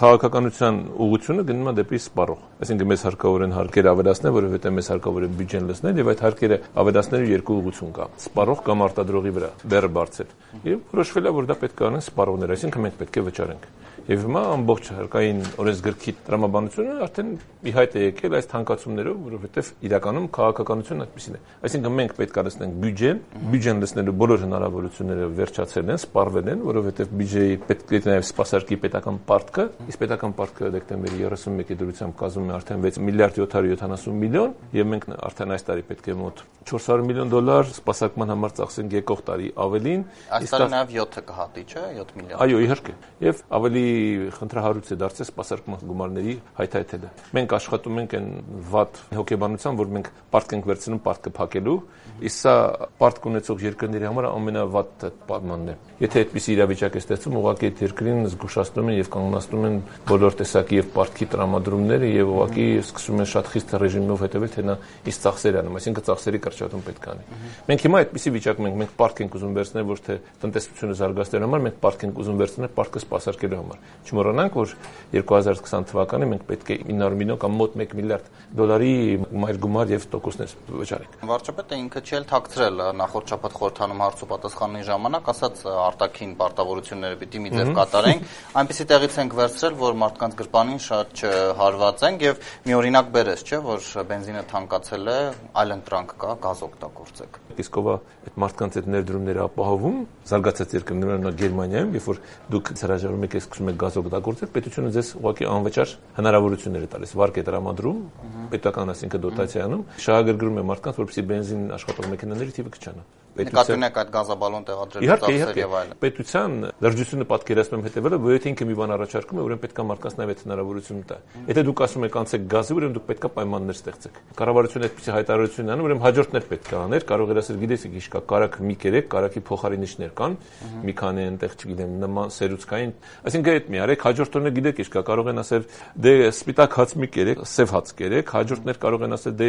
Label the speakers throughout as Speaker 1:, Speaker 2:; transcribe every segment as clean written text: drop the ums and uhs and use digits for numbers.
Speaker 1: քաղաքականության ուղղությունը գնում է դեպի սպառող։ Այսինքն մեզ հարկավոր են հարկեր ավելացնել, որովհետև մեզ հարկավոր է բյուջեն լցնել եւ այդ հարկերը ավելացնելու երկու ուղղություն կա՝ սպառող կամ արտադրողի վրա, բեռը բարձր։ Եվ որոշվել է, որ դա պետք է անեն սպառողները, այսինքն մենք պետք է վճարենք։ Եվ հիմա ամբողջ հարկային օրենսգրքի տրամաբանությունը արդեն ի հայտ է եկել այս թանկացումներով, որովհետև իրականում քաղաքականությունն այդպեսին է։ Այսինքն մենք պետք է լցնենք բյուջեն լցնելու բոլոր հնարավորությունները վերջացել են, սպառվել են, որովհետև բյուջեի պետք է նաև սպասարկի պետական պարտքը, իսկ պետական պարտքը դեկտեմբերի 31-ի դրությամբ կազմում է արդեն 6 միլիարդ 770 միլիոն, եւ մենք արդեն այս տարի պետք է մոտ $400 միլիոն սպասարկման համար ծախսենք եկող տարի ավելին։
Speaker 2: Այս տարի նաև 7-ը կհատի, չէ՞, 7 միլիարդ։
Speaker 1: Այո, իհարկե։ Եվ ավելի խնդրահարույց է դարձել սպասարկման գումարների հայթայթելը։ Մենք աշխատում ենք այն վատ հոգեբանությամբ, որ մենք պարտք ենք վերցնում պարտքը փակելու, իսկ սա պարտք ունեցող երկրների համար ամենավատ պայմանն է։ Եթե այդպիսի իրավիճակ է ստեղծում, ուղղակի այդ երկրին զգուշացնում են եւ կանգնացնում են բոլոր տեսակի եւ պարտքի տրամադրումները եւ ուղղակի սկսում են շատ խիստ ռեժիմով հետևել, թե նա իսկ ծախսեր անում, այսինքն ծախսերի կրճատում պետք է անի։ Մենք հիմա այդպիսի վիճակում ենք, մենք պարտք ենք ուզում վերցնել, ոչ թե տնտեսությունը զարգացնելու համար, մենք պարտք ենք ուզում վերցնել պարտքը սպասարկելու համար։ Չմոռանանք, որ 2020 թվականին մենք պետք է 900 միլիոն կամ մոտ $1 միլիարդ մայր գումար եւ տոկոսներ վճարենք։
Speaker 2: Վարչապետը ինքը չի էլ թաքցրել նախորդ շաբաթ խորհրդանում հարց ու պատասխանի ժամանակ, ասաց արտաքին պարտավորությունները պիտի մի ձև կատարենք, այնպեսի տեղից ենք վերցրել, որ մարդկանց գրպանին շատ չհարվածենք եւ մի օրինակ բերես, չէ, որ բենզինը թանկացել է, այլ ընտրանք կա, գազ օգտագործեք։
Speaker 1: Իսկ ով է այդ մարդկանց այդ ներդրումները ապահովում, զարգացած երկրներում, օրինակ Գերմանիայում, երբ որ դուք հրաժարվում եք սկսում եք գազ օգտագործել, պետությունը ձեզ ուղղակի անվճար հնարավորություններ է տալիս, վարկ է տրամադրում, պետական այսինքն դոտացիանում, շահագրգռում է մարդկանց, որպեսզի բենզին աշխատող մեքենաների թիվը կչանա։
Speaker 2: Նկատունակ այդ գազաբալոն տեղադրելու ծախսեր եւ այլն։
Speaker 1: Պետության լրջությունը պատկերացնում եմ հետեւելը, որ եթե ինքը մի բան առաջարկում է, ուրեմն պետք է մարդկանց նաև այդ հնարավորությունը տա։ Եթե դուք ասում եք անցեք գազի, ուրեմն դուք պետք է պայմաններ ստեղծեք։ Կառավարությունը այդպիսի հայտարարություն անում, ուրեմն հաջորդներ պետք է աներ, կարող էր ասել, գիտես, ինչ կա, կարակ մի կերեք, կարակի փոխարինիչներ կան, մի քանի այնտեղ, չգիտեմ, նման սերուցքային, այսինքն այդ մի արեք, հաջորդ օրը գիտեք ինչ կա, կարող են ասել, դե սպիտակ հաց մի կերեք, սև հաց կերեք, հաջորդներ կարող են ասել, դե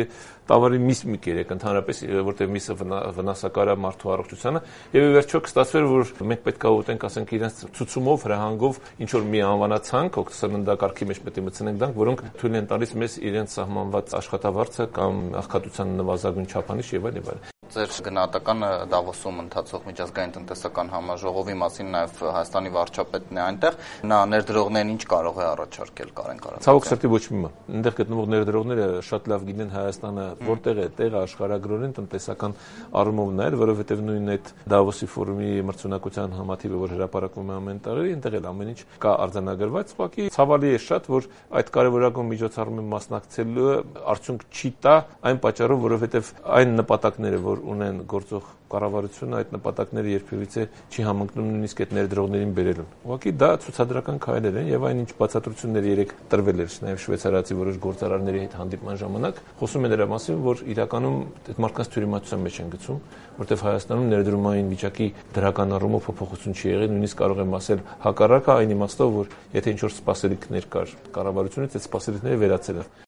Speaker 1: տավարի միս մի կերեք, ընդհանրապես, որտեղ միսը վնասակար է մարդու առողջությանը, եւ ի վերջո կստացվեր, որ մենք պետք է ուտենք, ասենք, իրենց ցուցումով, հրահանգով ինչ որ մի անվանացանք, սննդակարգի մեջ պետք է մտցնենք դրանք, որոնք թույլ են տալիս մեզ իրենց սահմանված աշխատավարձը կամ աղքատության նվազագույն չափանիշ եւ այլն։
Speaker 2: Ձեր գնահատականը Դավոսում ընթացող միջազգային տնտեսական համաժողովի մասին նաև Հայաստանի վարչապետն է այնտեղ, նա ներդրողներին ինչ կարող է առաջարկել, Կարեն Կարապետյան։
Speaker 1: Ցավոք սրտի ոչ մի բան։ Այնտեղ գտնվող ներդրողները շատ լավ գիտեն Հայաստանը որտեղ է տեղը աշխարհագրորեն տնտեսական առումով նայել, որովհետև նույն այդ Դավոսի ֆորումի մրցունակության համաթիվը, որ հրապարակվում է ամեն տարի, այնտեղ էլ ամեն ինչ կա արձանագրված, ուղղակի ցավալի է շատ, որ այդ կարևորագույն միջոցառումին մասնակցելու արդյունք չի տա այն պատճառով, որովհետև այն նպատակները, որ ունեն գործող կառավարությունը, այդ նպատակները երբևիցե չի համընկնում նույնիսկ այդ ներդրողներին բերելուն։ Ուղղակի դա ցուցադրական քայլեր են եւ այն ինչ բացատրություններ երեք տրվել էր նաեւ շվեյցարացի որոշ գործարարների հետ հանդիպման ժամանակ, խոսում են դրա մասին, որ իրականում այդ մարդկանց թյուրիմացության մեջ են գցում, որտեղ Հայաստանում ներդրումային վիճակի դրական առումով փոփոխություն չի եղել, նույնիսկ կարող եմ ասել հակառակը այն իմաստով, որ եթե ինչ որ սպասելիքներ կար կառավարությունից, այդ սպասելիքները վերացել են։